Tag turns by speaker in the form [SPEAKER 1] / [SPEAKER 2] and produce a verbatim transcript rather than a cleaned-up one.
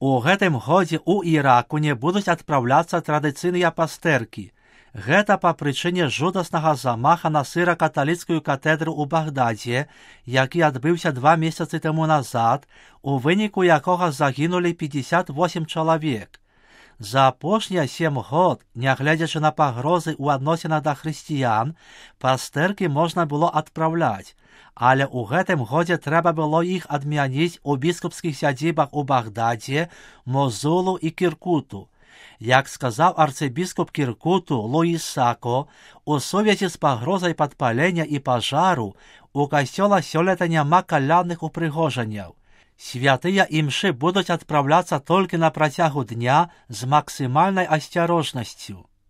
[SPEAKER 1] У гэтым годзе ў Іраку не будуць адпраўляцца традыцыйныя пастэркі. Гэта па прычыне жудаснага замаха на сыра-каталіцкую катедру ў Багдадзе, які адбыўся два месяцы таму назад, у выніку якога загінулі пятьдесят восемь чалавек. За апошнія сем год, нягледзячы на пагрозы ў адносінах да хрысціян, пастэркі можна было адпраўляць, але ў гэтым годзе трэба было іх адмяніць у біскупскіх сядзібах у Багдадзе, Мозулу і Кіркуту. Як сказаў арцыбіскуп Кіркуту Луіс Сако, у сувязі з пагрозай падпалення і пажару у касцёла сёлета няма калядных упрыгожанняў. Святыя імшы будуць адпраўляцца толькі на працягу дня з максімальнай асцярожнасцю.